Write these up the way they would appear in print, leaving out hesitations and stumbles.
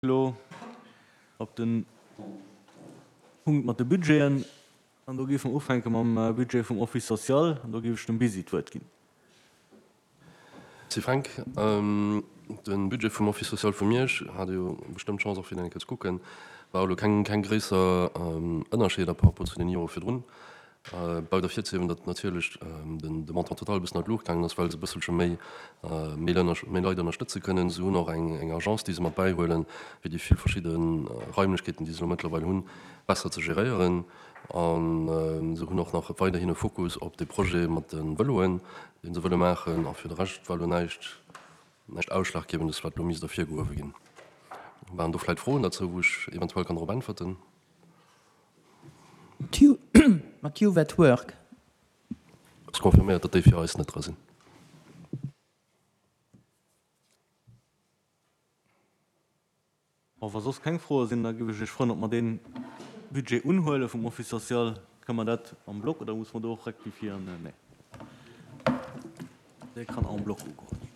Elo op de Punkt mat de Budgeten. An do géife mer ufänke mam Budget vum Office social. An do géif ech dem Busy d'Wuert ginn. Merci Fränk. De Budget vum Office social vu Miersch, hat Dir jo bestëmmt d'Chance och fir en eng Kéier ze kucken, war elo keng gréisser Ënnerscheeder par rapport zu den Jore virdrun. Bleift ervirzehiewen, datt natierlech de Montant total e bëssen an d'Luucht gaangen ass, well se e bësselche méi méi Leit ënnerstëtze kënnen. Se hunn och eng Agence, déi se mat bäihuelen, fir déi vill verschidde Raimlechkeeten, déi se elo mëttlerweil hunn, besser ze geréieren. A se hunn och nach weiderhin e Fokus op de Projet mat de Vëloen, dee se wëlle maachen. A fir de Rescht war elo näischt näischt Ausschlaggebendes, wat elo misst ervirgehuewe ginn. Waren do vläicht Froen derzou, wou ech eventuell kann drop äntwerten? Mat Youth at Work. Ass confirméiert, datt déi fir eis net dra sinn. Bon, wa soss keng Froe sinn, da géif ech Iech froen, ob mer dee Budget unhuele vum Office social. Kënne mer dat en bloc oder musse mer do och rektifiéieren? Nee, dee kann en bloc ugeholl ginn.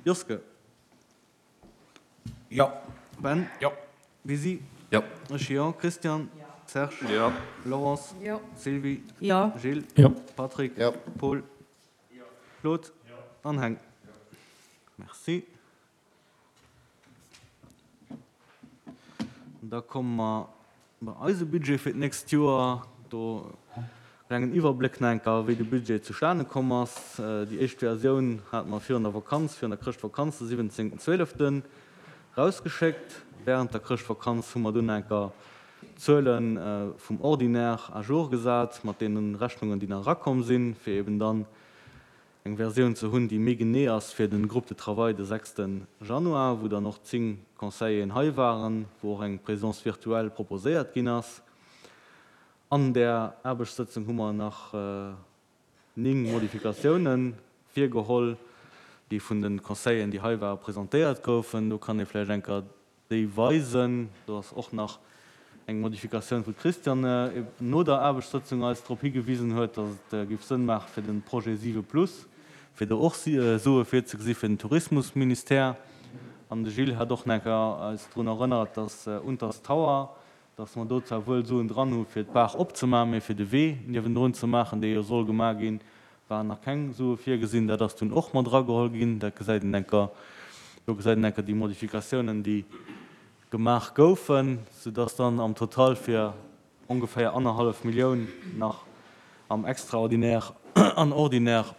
Joske. Jo. Ben. Jo. Lisi. Jo. Ech jo. Christian. Jo. Serge. Jo. Laurence. Jo. Sylvie. Jo. Gilles. Jo. Patrick. Jo. Paul. Jo. Claude. Jo. An Heng. Jo. Merci. Da komme mer bei eise Budget fir d'nächst Joer. Do e klengen Iwwerbléck nach eng Kéier, wéi de Budget zustane komm ass. Déi éischt Versioun hate mer virun der Vakanz, virun der Chrëschtvakanz, de 17.12. Erausgeschéckt. Wärend der Chrëschtvakanz hu mer dunn nach eng Kéier d'Zuele vum Ordinaire à jour gesat, mat deene Rechnungen, déi nach erakomm sinn, fir eben dann eng Versioun ze hunn, déi méi genee ass fir de Groupe de travail de sechste Januar, wou dann och 10 Conseilleren hei waren, wou och eng Présence virtuelle proposéiert ginn ass. An där Aarbechtssëtzung hu mer nach 9 Modifikatiounen virgeholl, déi vun de Conseilleren, déi hei waren, presentéiert goufen. Do kann ee vläicht eng Kéier déi weisen. Do ass och nach eng Modifikatioun, wou d'Christiane no der Aarbechtssëtzung eis drop higewisen huet, datt et géif Sënn maache fir de Projet 7 plus, fir do och Sue virzegesi fir den Tourismusministère. An de Gilles hat och nach eng Kéier eis drun erënnert, datt Unters Tower, datt mer do zwar wuel Suen dran hu fir d'Baach opzemaachen, mee fir de Wee niewendrun ze maachen, dee jo soll gemaach ginn, Waren nach keng Sue virgesinn. Dat ass dunn och mat erageholl ginn. Dat gesäit een enker, do gesäit een enker déi Modifikatiounen, déi gemaach goufen, soudass dann am Total fir ongeféier annerhallef Millioun nach am Extraordinaire an Ordinaire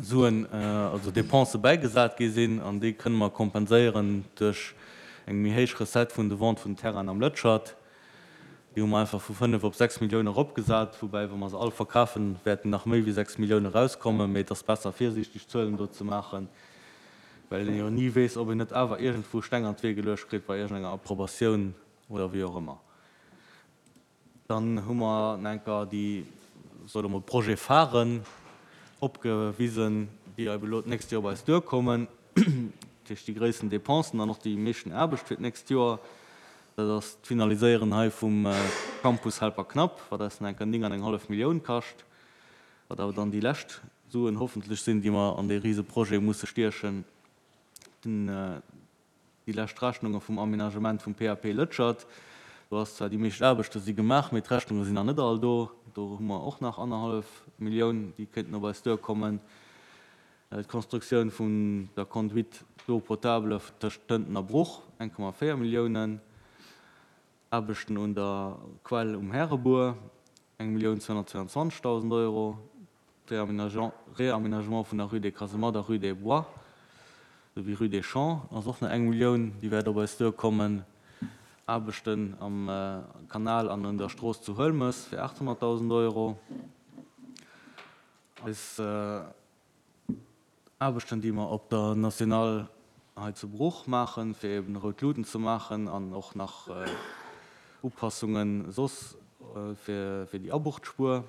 Suen, also Dépensë bäigesat gi sinn. An déi kënne mer kompenséieren duerch eng méi héich Recette vun de Vente vun Terrainen am Lëtschert. Déi hu mer einfach vu 5 op 6 Millioune eropgesat, woubäi, wa mer se all verkafen, wäerten nach méi wéi 6 Millioune erauskommen. Mee et ass besser, virsiichteg Zuelen do ze maachen, well een jo ni weess, ob een net awer iergendwou Steng an d'Wee geluecht kritt bei iergendenger Approbatioun oder wéi och ëmmer. Dann hu mer nach eng Kéier déi, soe mer, Projet-pharen opgewisen, déi ebe elo d'nächst Joer op eis duerkommen, dat heescht déi gréissten Dépensen an och déi meeschten Aarbecht fir d'nächst Joer. Dat ass d'Finaliséieren hei vum Campus Helperknapp, wat eis nach eng Kéier 9 an eng hallef Millioun kascht, wat awer dann déi lescht Suen hoffentlech sinn, déi mer an dee Riseprojet musse stiechen. Den, déi lescht Rechnunge vum Aménagement vum PAP Lëtschert, do ass zwar déi meescht Aarbechte si gemaach, mee d'Rechnunge sinn nach net all do. Do hu mer och nach annerhallef Millioun, déi kéinten op eis duerkommen. D'Konstruktioun vun der Conduite d'eau potable tëscht Tënten a Bruch, 1,4 Milliounen. Aarbechten un der Quell um Härebuer, 1.222.000 Euro. D'Réaménagement vun der Rue des Casemattes a Rue des Bois, souwéi Rue des Champs ass och nach eng Millioun, déi wäert op eis duerkommen. Aarbechten am Kanal an un der Strooss zu Huelmes fir 800.000 Euro. Eis Aarbechten, déi mer op der Nationale hei zu Bruch maachen, fir eben rout Luuten ze maachen an och nach Upassunge soss fir déi Abuchtspuer,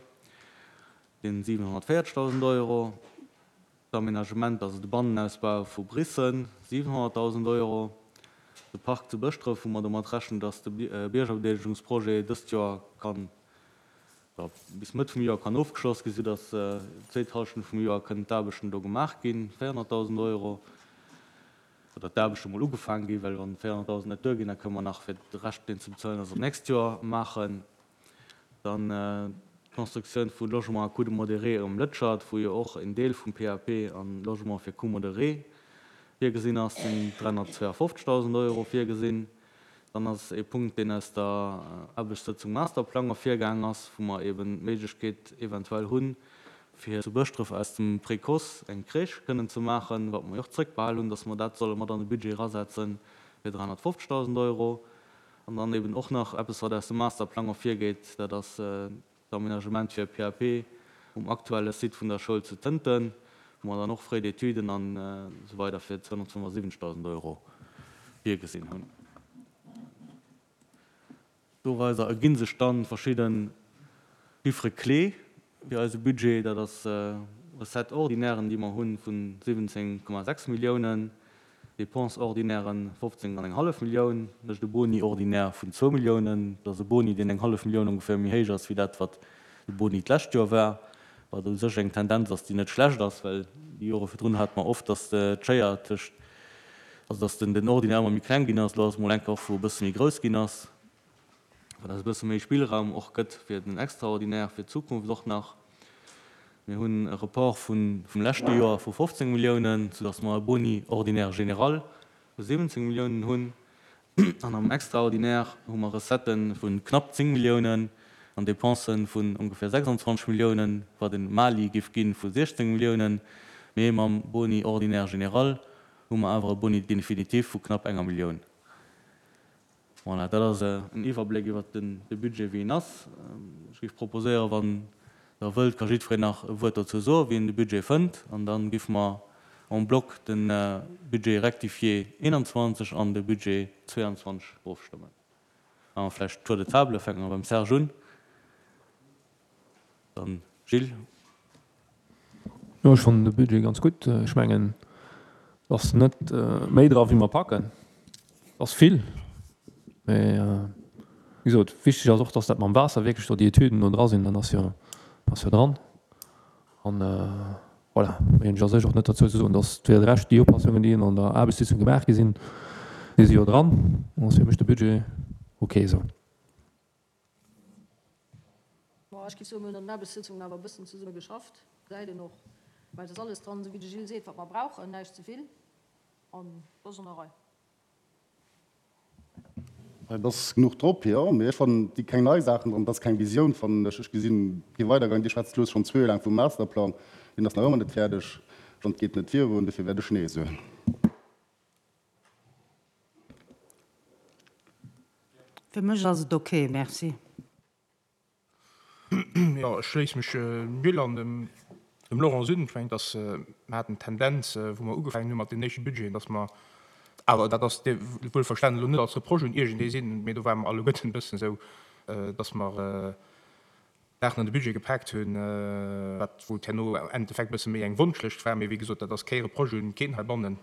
sinn 740.000 Euro. D'Aménagement, also de Bannenausbau vu Brissen, 700.000 Euro. De Park zu Bëschdref, wou mer domat rechnen, dass de Biergerbedeelegungsprojet dëst Joer kann bis Mëtt vum Joer kann ofgeschloss ginn, soudass d'zweet Hallschent vum Joer kënnen d'Aarbechten do gemaach ginn, 400.000 Euro. Oder d'Aarbechte mol ugefaange ginn, well wann 400.000 net duerginn, da kënne mer nach fir de Rescht, deen ze bezuelen ass, op d'nächst Joer maachen. Dann d'Constructioun vu Logements à coût modéré um Lëtschert, wou jo och en Deel vum PAP an Logement fir coût modéré virgesinn ass, sinn 352.000 Euro virgesinn. Dann ass ee Punkt, deen aus der Aarbechtssëtzung Masterplang ervirgaang ass, wou mer eben d'Méiglechkeet eventuell hunn, fir zu Bëschdref aus dem Précoce eng Crèche kënnen ze maachen, wat mer jo och zrëckbehal hunn, dass mer dat solle mat an de Budget erasetzen, fir 350.000 Euro. An dann eben och nach eppes, wat aus dem Masterplang ervirgeet, dat ass d'Aménagement fir e PAP um aktuelle Site vun der Schoul zu Tënten, wou mer dann och Frais d'études an esou weider fir 275.000 Euro virgesinn hunn. Doraiser erginn sech dann verschidden Chiffres clés fir eise Budget. Dat ass Recettes ordinairen, déi mer hunn, vun 17,6 Milliounen, Dépenses ordinairen 15 an eng hallef Millioun, mécht e Boni ordinaire vun zwou Milliounen. Dat ass e Boni, deen eng hallef Millioun ongeféier méi héich ass wéi dat, wat de Boni d'lescht Joer war, wat u sech eng Tendenz ass, déi net schlecht ass, well déi Jore virdrun hate mer oft, datt d'Schéier tëscht, also datt den Ordinaire ëmmer méi kleng ginn ass. Elo ass et mol eng Kéier och, wou e bësse méi grouss ginn ass, wat eis e bësse méi Spillraum och gëtt fir den Extraordinaire fir d'Zukunft och nach. Mir hunn e Report vum leschte Joer vu 15 Milliounen, soudass mer e Boni ordinaire général vu 17 Milliounen hunn. An am Extraordinaire hu mer Recettë vu knapp 10 Milliounen an Dépensë vun ongeféier 26 Milliounen, wat e Mali géif gi vu 16 Milliounen. Mee mam Boni ordinaire général hu mer awer e Boni définitif vu knapp enger Millioun. Voilà, dat ass en Iwwerbléck iwwert de Budget, wéi en ass. Ech géif proposéieren, wann Der wëllt, ka jiddwereen nach e Wuert dozou soen, wéi en de Budget fënnt. An da géife mer en bloc de Budget rectifié 21 an de Budget 22 ofstëmmen. Maache mer vläicht Tour de table, fänke mer beim Serge un. Dann Gilles. Jo, ech fannen de Budget ganz gutt. Ech mengen, et ass net méi dra wéi mer packen. Et ass vill, mä wéi gesot, wichteg ass och, dass dat mam Waasser wierklech do déi Etüden do dra sinn. Dat ass jo, ass jo dran. An voilà, méi hunn ech a sech och net dozou ze soen. Dass fir de Rescht déi Upassungen, déi an der Aarbechtssitzung gemaach gi sinn, déi si jo dran. Dann ass fir mech de Budget ok esou. Bon, ech géif soen, mir hunn an den Aarbechtssitzungen awer e bëssen zesumme geschafft, gesäit een och, well et ass alles dran, esou wéi de Gilles seet, wat mer brauchen, näischt ze vill an et ass an der Rei. Et ass genuch drop, jo, mee ech fannen, et si keng nei Saachen dran, et ass keng Visioun, fannen ech. Ech gesinn kee Weidergang. Dir schwätzt lues schonn zwee Joer laang vum Masterplang, deen ass nach ëmmer net fäerdeg an et geet net virun. Dofir wäert ech Nee soen. Fir mech ass et ok, merci. Jo, ech schléisse mech dem Gilles an dem Laurence un. Ech mengen, dass mer haten d'Tendenz, wou mer ugefaangen hu mat deenen éischte Budgeten, dass mer, awer dat ass wuelverstanen elo net als Reproche un iergendee sinn, mee do ware mer alleguerten e bëssen esou, dass mer Saachen an de Budget gepaakt hunn, wat wou et herno am Endeffekt e bësse méi eng Wonschlëscht war. Mee wéi gesot, dat ass kee Reproche un keen heibannen.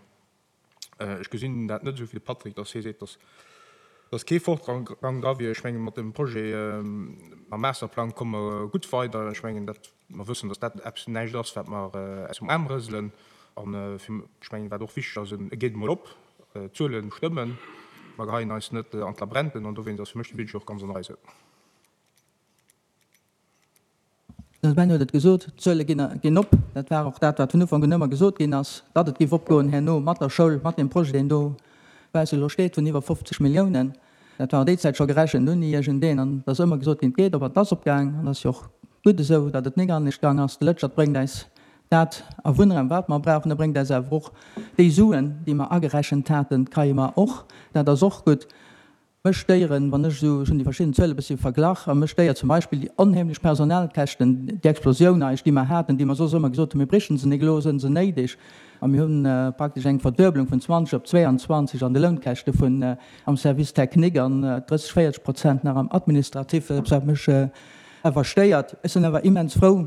Ech gesinn dat net esou wéi de Patrick, dass hie seet, dass dass kee Fortgang dra wier. Ech menge mat dem Projet, mam Masterplang komme mer gutt weider. Ech mengen, dat mer wëssen, dass dat eppes näischt ass, wat mer aus dem Aarm rëselen. An fir, ech mengen, wat och wichteg ass, e geet emol op, d'Zuele stëmmen, mer geheien eis net an d'Labrenten an dowéinst ass fir mech de Budget och ganz an der Rei esou. De Ben huet et gesot, d'Zuele ginn op. Dat war och dat, wat vun Ufank un ëmmer gesot ginn ass, datt et géif opgoen herno mat der Schoul, mat deem Projet, deen do quasi elo steet, vun iwwer 50 Milliounen. Dat war déi Zäit scho gerechent ouni iergendeen. An et ass ëmmer gesot ginn, et geet op an et ass opgaang. An et ass jo och gutt esou, datt et nik anescht gaang ass. De Lëtschert bréngt äis dat a Wunnraum, wat mer brauchen. E bréngt äis awer och déi Suen, déi mer agerechent haten, kréie mer och. Dat ass och gutt. Mech stéieren, wann ech esou, ech hunn déi verschidden Zuele bëssi verglach, a mech stéiert zum Beispill déi onheemlech Personalkäschten, déi Explosioun eigentlech, déi mer haten, déi mer soss ëmmer gesot hunn, mir brichen se nik, elo sënn se néideg, a mir hunn praktesch eng Verdueblung vun 20 op 22 an de Lounkäschte vun am Service technique an 30, 40 Prozent nach am Administratif, eppes wat mech awer stéiert. Ech sinn awer immens frou,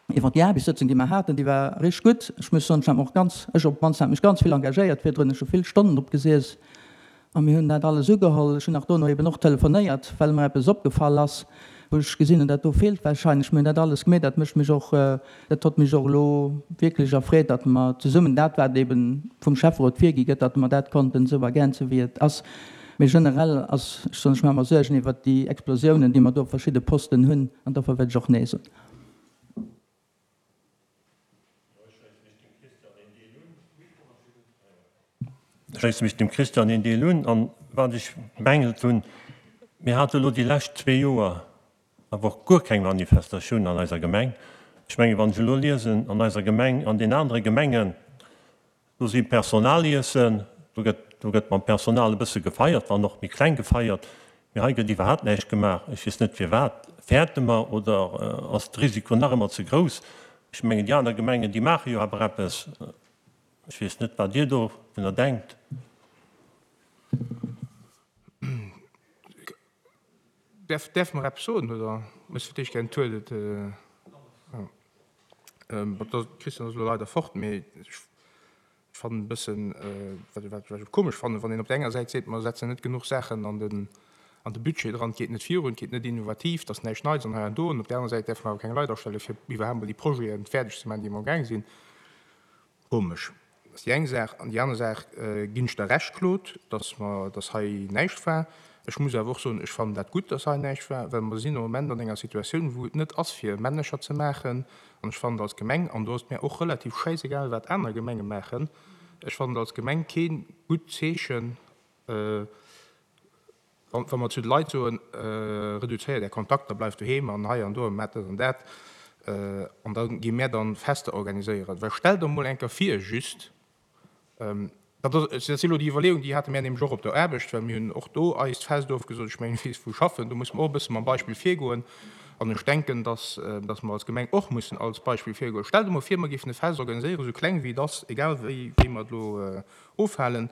Iwwer déi Aarbechtssëtzung, déi mer haten, déi war richteg gutt. Ech muss soen, ech hat mech och ganz, ech op d'mannst hat mech ganz vill engagéiert virdrun. Ech hu vill Stonnen drop gesiess a mir hunn dat alles ugeholl. Ech hunn nach dono eben och telefonéiert, well mer eppes opgefall ass. Wou ech gesinn hunn, dat do feelt wahrscheinlech. Mir hunn dat alles gemeet. Dat mécht mech och, dat hott mech och elo wierklech erfreet, datt mer zesummen dat, wat eeben vum Schäfferot virgi gëtt, datt mer dat konnten esou ergänzen, wéi et ass. Mee generell ass, ech soen, ech maache mer Suergen iwwert déi Explosiounen, déi mer do op verschidde Posten hunn, an dofir wäert ech och Nee soen. Ech schléisse mech dem Christian een Deel un. An wat ech bemängelt hunn, mir hate elo déi lescht zwee Joer awer och guer keng Manifestatioun an eiser Gemeng. Ech mengen, wann ech elo liesen, an eiser Gemeng, an den anere Gemengen, Do si Personaliessen, do gëtt, do gëtt mam Personal e bësse gefeiert, wann och méi kleng gefeiert, mee hei gëtt iwwerhaapt näischt gemaach. Ech weess net firwat. Fäerte mer oder ass de Risiko nach ëmmer ze grouss? Ech mengen déi aner Gemengen, déi maache jo awer eppes. Ech weess net wat Dir dovunner denkt. Däerf, däerfe mer eppes soen oder muss fir d'éischt gären d'Toilette? Bon, de Christian ass elo leider fort, mee ech fannen e bëssen, wat wat ech komesch fannen, wann een op der enger Säit seet, mer setzen net genuch Saachen an den an de Budget dran, et geet net virun, et geet net innovativ, et ass näischt Neits an hei an do, an op der anerer Säit däerfe mer awer keng Leit astellen, fir iwwerhaapt emol déi Projeten fäerdeg ze maachen, déi mer amgaang sinn. Komesch. Dat ass déi eng Saach. An déi aner Saach, ginn ech der Recht, Claude, dass mer, dass hei näischt war. Ech muss awer och soen, ech fannen dat gutt, dass hei näischt war, well mer sinn am Moment an enger Situatioun, wou et net ass, fir Männecher ze maachen. An ech fannen et als Gemeng, an do ass et mär och relativ schäisegal, wat aner Gemenge maachen, ech fannen et als Gemeng kee gutt Zeechen, Wa mer zu de Leit soen, reduzéiert Är Kontakter, bleift doheem an hei an do a maacht dat an dat, an da gi mär dann Fester organiséieren. Well stellt der emol eng Kéier vir, just, dat ass, dat si elo déi Iwwerleeung, déi hate mär nämlech och op der Aarbecht, well mir hunn och do eist Fest ofgesot. Ech mengen, ech weess, wou ech schaffen, do musse mer och e bësse mam Beispill virgoen. An ech denken, dass, dass mer als Gemeng och mussen als Beispill virgoen. Stellt emol vir, mer géifen e Fest organiséieren, esou kleng wéi et ass, egal wéi, wéi mer et elo ofhalen,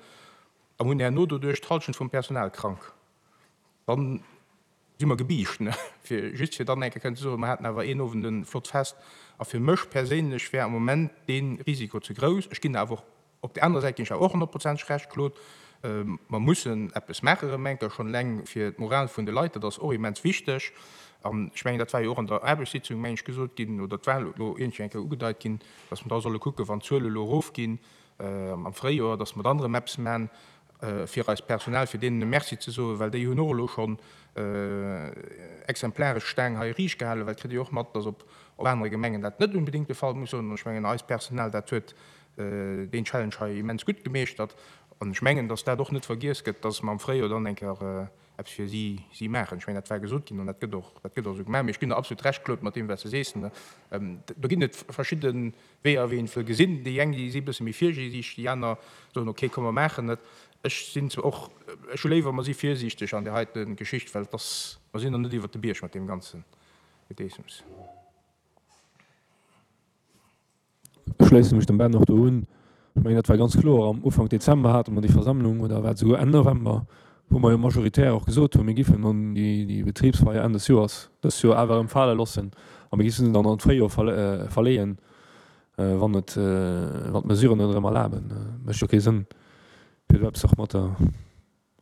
A hunn herno doduerch d'Halschent vum Personal krank. Dann si mer gebiischt, ne? Fir just fir dann eng Kéier kënnen ze soen, mer haten awer een Owend e flott Fest. A fir mech perséinlech wär am Moment dee Risiko ze grouss. Ech ginn awer och, op där anerer Säit ginn ech awer och honnertprozenteg Recht, Claude, mer mussen eppes maache rëm eng Kéier, schonn eleng fir d'Moral vun de Leit, dat ass och immens wichteg. An ech mengen, dat war jo och an der Aarbechtssitzung, meng ech, gesot ginn, oder et war elo iergendwéi eng Kéier ugedeit ginn, dass mer da solle kucken, wann d'Zuele elo erofginn, am Fréijoer, dass mer dann erëm eppes man fir eist Personal, fir deenen e Merci ze soen, well déi hunn och elo schonn exemplaresch d'Staang hei riicht gehalen, well et kritt ee jo och mat, dass op anere Gemengen dat net unbedéngt de Fall muss soen. An ech mengen, eist Personal, dat huet deen Challenge hei immens gutt gemeeschtert. An ech mengen, dass dat och net vergiess gëtt, dass mer am Fréijoer dann eng Kéier eppes fir si si maachen. Ech mengen, dat war gesot ginn an dat gëtt och, dat gëtt och esou gemaach. Mee ech ginn der absolut Recht, Claude, mat deem, wat s de sees. Do ginn et verschidde Weeër, wéi een et wëll gesinn. Déi eng, déi si e bësse méi virsiichteg, déi aner soen, okay, komm, mer maachen et. Ech sinn zwar och, ech hu léiwer, mer si virsiichteg an där heite Geschicht, well et ass, mer sinn nach net iwwert de Bierg mat deem ganze Gedeessems. Ech schléisse mech dem Ben och do un. Ech mengen, dat war ganz kloer. Am Ufank Dezember hate mer déi Versammlung, oder war et esouguer Enn November, wou mer jo majoritär och gesot hunn, mir giffen dann déi Betribsfeier Enn des Joers dës Joer awer erëm fale loossen a mir giffen se dann an d'Fréijoer verleeën, wann et, wann d'Mesuren et erëm erlaben. Mécht jo kee Sënn, fir do eppes och mat der.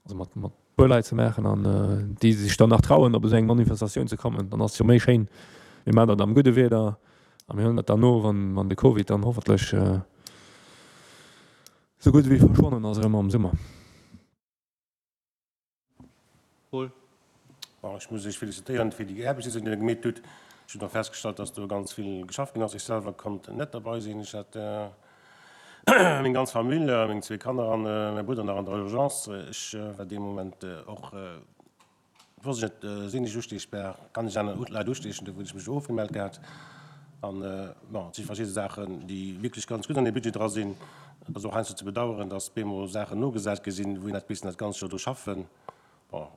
Also mat mat puer Leit ze maachen an déi sech dann nach trauen op esou eng Manifestatioun ze kommen, dann ass et jo méi schéin, mir maachen dat am gudde Wieder a mir huelen dat dann no, wann wann de Covid dann hoffentlech esou gutt ewéi verschwonnen ass erëm am Summer. Paul. Bon, ech muss Iech felicitéieren fir déi Aarbechtssitzung, déi Der gemeet hutt. Ech hunn och festgestallt, dass do ganz vill geschafft ginn ass. Ech selwer konnt net derbei sinn. Ech hat Meng ganz Famill, meng zwee Kanner an mäi Brudder nach an der Urgence. Ech war dee Moment och, wosst ech net, sinn ech ustiechbar, kann ech aner Leit ustiechen, do hunn ech mech ofgemellt gehat. An bon, et si verschidde Saachen, déi wierklech ganz gutt an dee Budget dra sinn. Et ass och heiansdo ze bedauern, datt bemol Saachen nogesat gi sinn, wou een hätt missen dat ganz Joer dru schaffen. Bon,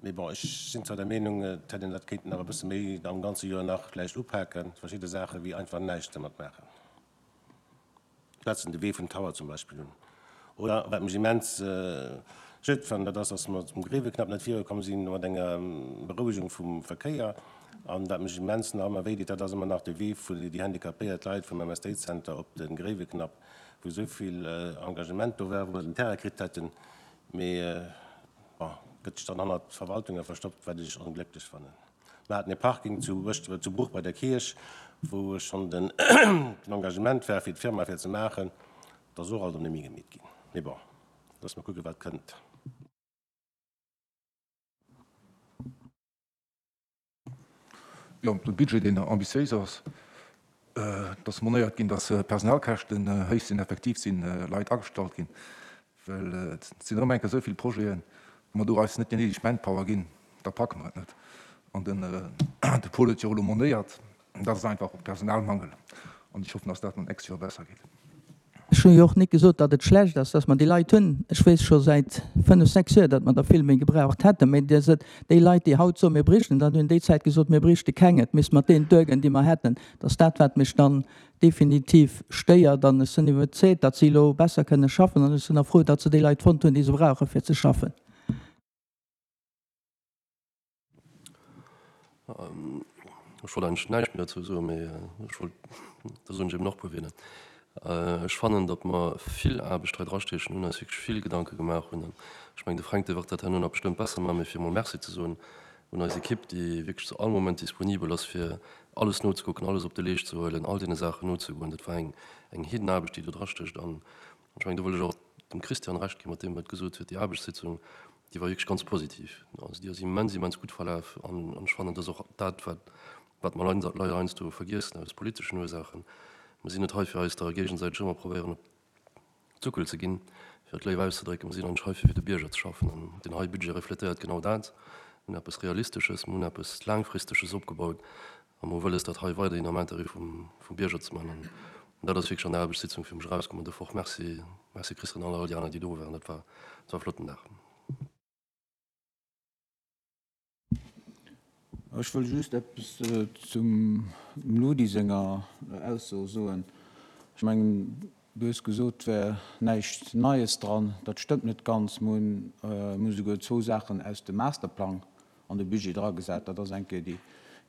mee bon, ech sinn zwar der Meenung, et hätt een dat kéinten nach e bësse méi am ganze Joer nach vläicht upaken, verschidde Saache wéi einfach näischt dermat maachen. Schwätzen de Wee vum Tower zum Beispill un. Oder wat mech immens schued fannen, dat ass, dass mer zum Gréiweknapp net virukomm si mat enger Berouegung vum Verkéier. An wat mech immens nach ëmmer wéideet, dat ass ëmmer nach de Wee vun déi handicapéiert Leit vum MSD-Zenter op de Gréiweknapp, wou esou vill Engagement do war, wou mer den Terrain kritt hätten, mee bon, gëtt sech dann hannert d'Verwaltunge verstoppt, wat ech onglécklech fannen. Mer haten e Parking zu Bëschdref, zu Bruch bei der Kierch, wou schonn den Engagement war fir d'Firma fir ze maachen. Dat ass och alt erëm net méi gemeet ginn. Mee bon, loosse mer kucken, wat kënnt. Jo, de Budget, deen ambitiéis ass. Et ass monéiert ginn, datt d'Personalkäschten héich sinn. Effektiv si Leit agestallt ginn, well et sinn erëm eng Kéier esou vill Projeten, wa mer do eis net déi néideg Manpower ginn, da packe mer et net. An den de Paul huet jo och elo monéiert, dat ass einfach och Personalmangel. An ech hoffen, datt dat an nächst Joer besser geet. Ech hunn jo och nik gesot, datt et schlecht ass, datt mer déi Leit hunn. Ech weess scho säit fënnf, sechs Joer, datt mer der vill méi gebraucht hätten. Mä dir sot, déi Leit, déi haut soen, mir bréichten dat, hunn déi Zäit gesot, mir bréichte keng, et misst mat deenen duergoen, déi mer hätten. Dat ass dat, wat mech dann definitiv stéiert. An ech sinn iwwerzeegt, datt si elo besser kënne schaffen. An ech sinn och frou, datt se déi Leit fonnt hunn, déi se brauchen, fir ze schaffen. Ech wollt eigentlech näischt méi dozou soen, mee ech wollt, da soen ech eben och e puer Wierder. Ech fannen, datt mer vill Aarbecht hei drastiechen hunn, eis wierklech vill Gedanke gemaach hunn. An ech mengen, de Fränk, dee wërt dat herno nach bestëmmt besser maachen, mee fir emol Merci ze soen un eis Ekipp, déi wierklech zu all Moment disponibel ass, fir alles nozekucken, alles op de Leescht ze huelen, all deene Saachen nozegoen. Dat war eng, eng Heedenaarbecht, déi do drastécht. An ech mengen, do wëll ech och dem Christian Recht ginn, mat deem, wat e gesot huet, déi Aarbechtssitzung, déi war wierklech ganz positiv. Also déi ass immens, immens gutt verlaf an ech fannen, dat ass och dat, wat, wat mer leider heiansdo vergiessen aus politeschen Ursaachen. Mer sinn net hei, fir eis da géigesäiteg ëmmer probéieren op d'Suckel ze ginn, fir et léif auszedrécken. Mer sinn eigentlech hei, fir fir de Bierger ze schaffen an deen hei Budget refletéiert genau dat. Mir hunn eppes Realistesches, mir hunn eppes Laangfristeges opgebaut A mer hu wëlles, dat hei weiderhin am Intérêt vum Bierger ze maachen. An dat ass wierklech an der Aarbechtssitzung fir mech erauskomm. An dofir och Merci, Merci Christian an all déi aner, déi do waren. Dat war, dat war e flotten Dag. Ech wëll just eppes zum Ludi senger Ausso soen. Ech mengen, du hues gesot, et wär näischt Neies dran. Dat stëmmt net ganz. Mer hunn esouguer zwou Saachen aus dem Masterplang an de Budget dragesat. Dat ass eng Kéier déi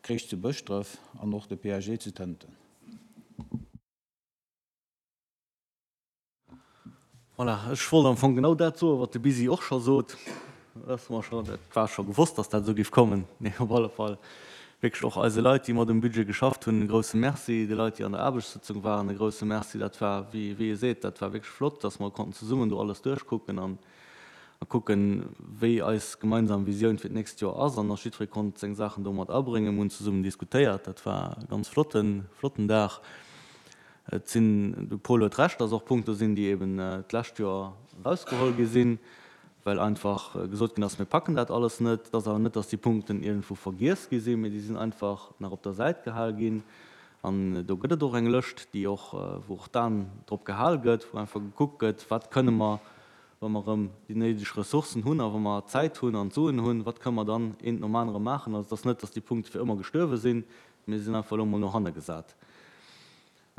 Crèche zu Bëschdref an och de PAG zu Tënten. Voilà, ech wollt am Fong genau dat soen, wat de Bisi och scho sot. Dat ass mer scho, dat war scho gewosst, dass dat esou géif kommen. Mee op alle Fall wierklech och eise Leit, déi mat um Budget geschafft hunn, e grouse Merci. De Leit, déi an der Aarbechtssëtzung waren, e grouse Merci. Dat war, wéi e seet, dat war wierklech flott, dass mer konnten zesummen do alles duerchkucken an a kucken, wéi eis gemeinsam Visioun fir d'nächst Joer ass. An och jiddweree konnt seng Saachen do mat abréngen. Mir hunn zesummen diskutéiert. Dat war e ganz flotten, flotten Dag. Et sinn, de Paul huet Recht, dass och Punkte sinn, déi eben d'lescht Joer erausgeholl gi sinn, well einfach gesot ginn ass, mir packen dat alles net. Et ass awer net, dass déi Punkten iergendwou vergiess gi sinn, mee déi sinn einfach nach op der Säit gehal ginn. An do gëtt et och eng Lëscht, déi och, wou och d'An drop gehal gëtt, wou einfach gekuckt gëtt, wat kënne mer wa mer erëm déi néideg Ressourcen hunn a wa mer d'Zäit hunn an d'Suen hunn, wat kënne mer dann eent nom anere maachen? Also et ass net, datt déi Punkte fir ëmmer gestuerwe sinn, mee se sinn einfach elo emol no hanne gesat.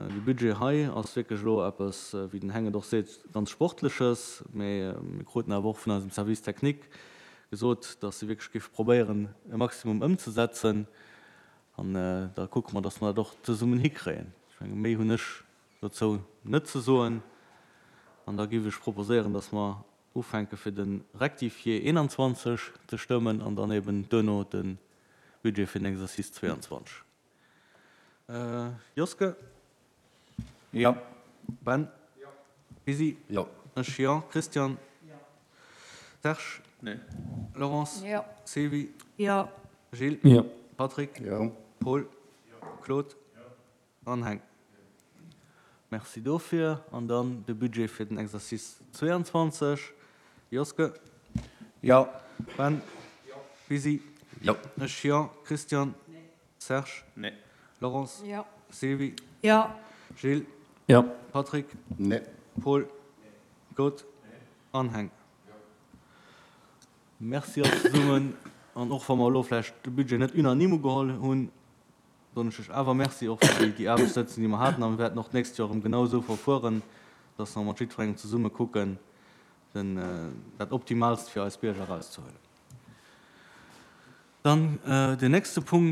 De Budget hei ass wierklech elo eppes, wéi den Heng et och seet, ganz Sportleches, mee mir kruten awer och vun eisem Service technique gesot, datt se wierklech géife probéieren, e Maximum ëmzesetzen. An da kucke mer, datt mer dat och zesummen hikréien. Ech menge méi hunn ech Dozou net ze soen. An da géif ech proposéieren, dass mer ufänke fir de Rectifié 21 ze stëmmen an dann eben duerno de Budget fir den Exercice 22. Joske? Jo. Ben? Jo. Lisi? Jo. Ech jo. Christian? Jo. Serge? Nee. Laurence? Jo. Sylvie? Jo. Gilles? Jo. Patrick? Jo. Paul? Jo. Claude? Jo. An Heng. Merci dofir. An dann de Budget fir den Exercice 22. Joske? Jo. Ben? Jo. Lisi? Jo. Ech jo. Christian? Nee. Serge? Nee. Laurence? Jo. Sylvie? Jo. Gilles? Jo. Patrick? Nee. Paul? Nee. Claude? Nee. An Heng? Jo. Merci all zesummen. An och wa mer elo vläicht de Budget net unanime ugeholl hunn, Soen ech lech awer Merci och fir déi Aarbechtssëtzung, déi mer haten. A mir wäerten och d'nächst Joer erëm genau esou verfueren, dass mer mat jiddwerengem zesumme kucken, den, dat Optimaalst fir eis Bierger erauszehuelen. Dann deen nächste Punkt.